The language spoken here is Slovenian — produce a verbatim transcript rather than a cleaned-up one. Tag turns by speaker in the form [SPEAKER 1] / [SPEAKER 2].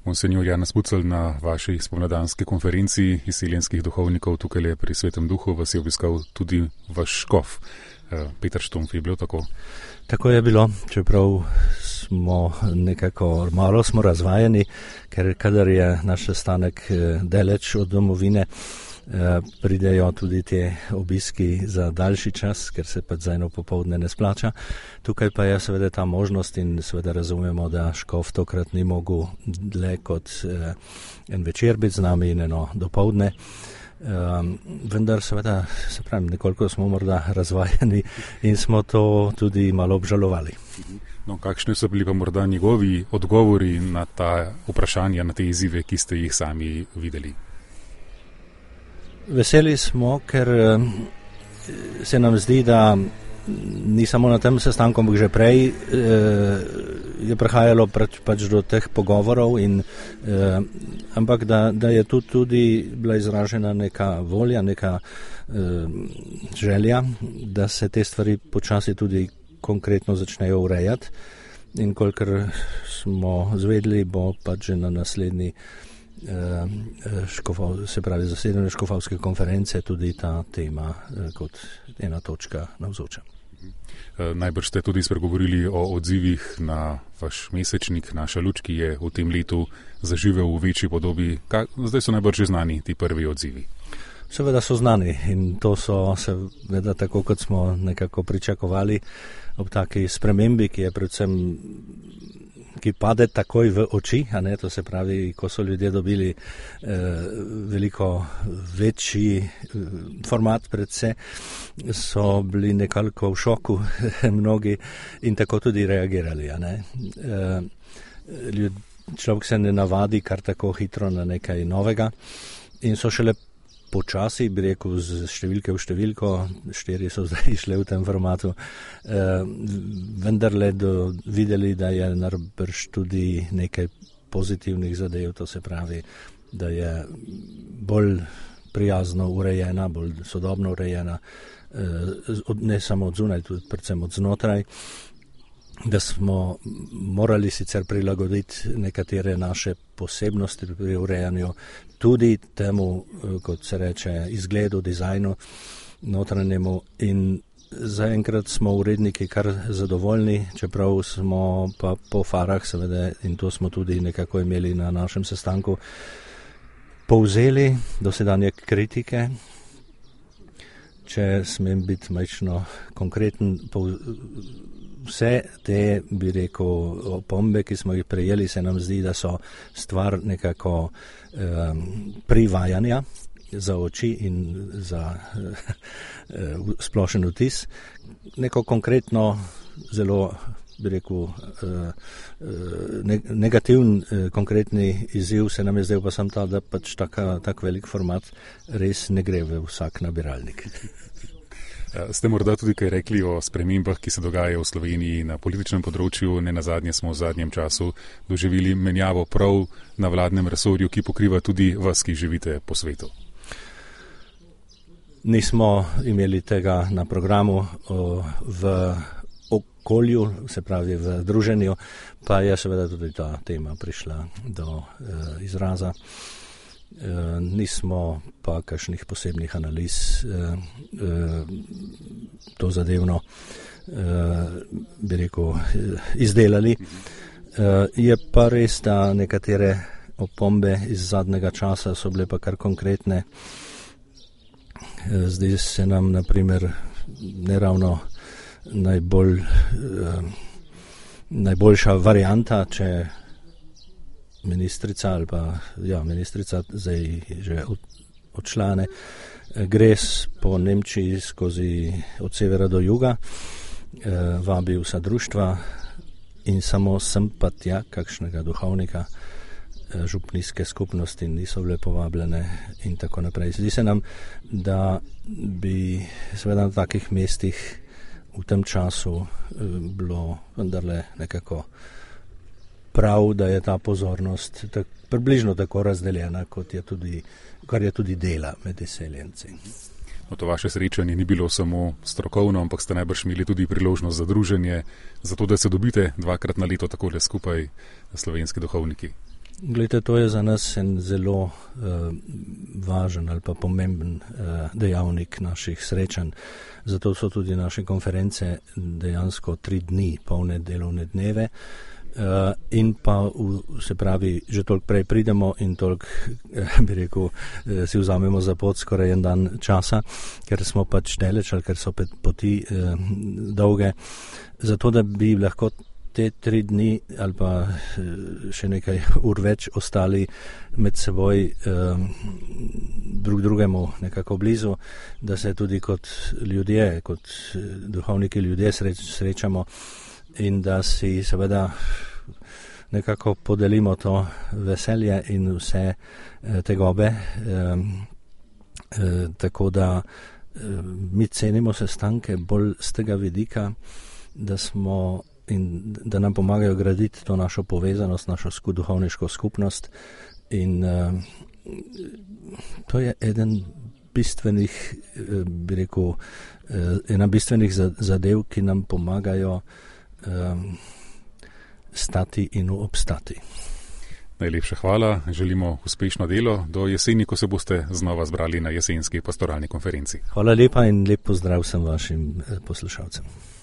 [SPEAKER 1] Monsenjor Janez Pucelj, na vaši spomladanski konferenci izseljenskih duhovnikov tukaj pri Svetem Duhu vas je obiskal tudi vaš škof, Peter Štumpf. Je bilo tako?
[SPEAKER 2] Tako je bilo, čeprav smo nekako malo smo razvajeni, ker kadar je naš sestanek daleč od domovine, pridejo tudi te obiski za daljši čas, ker se pač za eno popoldne ne splača. Tukaj pa je seveda ta možnost in seveda razumemo, da škof tokrat ni mogel dlje kot eh, en večer biti z nami in eno dopoldne. Um, vendar seveda, se pravim, nekoliko smo morda razvajeni in smo to tudi malo obžalovali.
[SPEAKER 1] No, kakšni so bili pa morda njegovi odgovori na ta vprašanja, na te izzive, ki ste jih sami videli?
[SPEAKER 2] Veseli smo, ker se nam zdi, da ni samo na tem sestanku, ampak že prej je prihajalo pač do teh pogovorov, in, ampak da, da je tu tudi bila izražena neka volja, neka želja, da se te stvari počasi tudi konkretno začnejo urejati. In kolikor smo zvedeli, bo pač že na naslednji Škofov, se pravi zasedanje škofovske konference tudi ta tema kot ena točka navzoča.
[SPEAKER 1] Najbrž ste tudi spregovorili o odzivih na vaš mesečnik, Naša luč, ki je v tem letu zaživel v večji podobi. Zdaj so najbrž že znani ti prvi odzivi.
[SPEAKER 2] Seveda so znani in to so seveda tako, kot smo nekako pričakovali ob taki spremembi, ki je predvsem ki pade takoj v oči, a ne, to se pravi, ko so ljudje dobili eh, veliko večji eh, format pred se, so bili nekoliko v šoku mnogi in tako tudi reagirali, a ne. Eh, ljud, človek se ne navadi kar tako hitro na nekaj novega in so šele počasi, bi rekel, z številke v številko, štiri so zdaj išle v tem formatu, eh, vendarle do, videli, da je najbrž tudi nekaj pozitivnih zadev, to se pravi, da je bolj prijazno urejena, bolj sodobno urejena, eh, od, ne samo od zunaj, tudi predvsem od znotraj, da smo morali sicer prilagoditi nekatere naše posebnosti pri urejanju tudi temu, kot se reče, izgledu, dizajnu notranjemu, in zaenkrat smo uredniki kar zadovoljni, čeprav smo pa po farah, seveda, in to smo tudi nekako imeli na našem sestanku, povzeli dosedanje kritike. Če smem biti majčno konkreten, vse te, bi rekel, opombe, ki smo jih prejeli, se nam zdi, da so stvar nekako um, privajanja za oči in za uh, splošen vtis. Neko konkretno, zelo, bi rekel, uh, ne, negativen uh, konkretni izziv se nam je zdaj pa sam ta, da pač taka, tak velik format res ne gre v vsak nabiralnik.
[SPEAKER 1] Ste morda tudi kaj rekli o spremembah, ki se dogajajo v Sloveniji na političnem področju? Ne nazadnje smo v zadnjem času doživeli menjavo prav na vladnem resorju, ki pokriva tudi vas, ki živite po svetu.
[SPEAKER 2] Nismo imeli tega na programu v okolju, se pravi v druženju, pa je seveda tudi ta tema prišla do izraza. Uh, nismo pa kakšnih posebnih analiz uh, uh, to zadevno, uh, bi rekel, izdelali. Uh, je pa res, da nekatere opombe iz zadnjega časa so bile pa kar konkretne. Uh, zdaj se nam, na primer, neravno najbolj, uh, najboljša varianta, če ministrica ali pa, ja, ministrica zdaj že odšla, ne, gre po Nemčiji skozi od severa do juga, eh, vabi vsa društva in samo sem pa tja kakšnega duhovnika, eh, župnijske skupnosti niso bile povabljene in tako naprej. Zdi se nam, da bi seveda na takih mestih v tem času eh, bilo vendarle nekako prav, da je ta pozornost tak, približno tako razdeljena, kot je tudi, kar je tudi dela med izseljenci.
[SPEAKER 1] No, to vaše srečanje ni bilo samo strokovno, ampak ste najbrž imeli tudi priložnost za druženje, zato da se dobite dvakrat na leto takole skupaj slovenski duhovniki.
[SPEAKER 2] Glede, to je za nas en zelo uh, važen ali pa pomemben uh, dejavnik naših srečanj. Zato so tudi naše konference dejansko tri dni, polne delovne dneve. Uh, in pa v, se pravi, že toliko prej pridemo in toliko, eh, bi rekel, eh, si vzamemo za pot skoraj en dan časa, ker smo pač daleč ali ker so poti eh, dolge. Zato, da bi lahko te tri dni ali pa še nekaj ur več ostali med seboj um, drug drugemu nekako blizu, da se tudi kot ljudje, kot duhovniki ljudje sreč, srečamo in da si seveda nekako podelimo to veselje in vse eh, tegobe. Um, eh, tako da eh, mi cenimo sestanke bolj z tega vidika, da smo in da nam pomagajo graditi to našo povezanost, našo duhovniško skupnost in uh, to je eden bistvenih, bi rekel, uh, ena bistvenih zadev, ki nam pomagajo um, stati in obstati.
[SPEAKER 1] Najlepša hvala, želimo uspešno delo do jeseni, ko se boste znova zbrali na jesenski pastoralni konferenci.
[SPEAKER 2] Hvala lepa in lep pozdrav vsem vašim poslušalcem.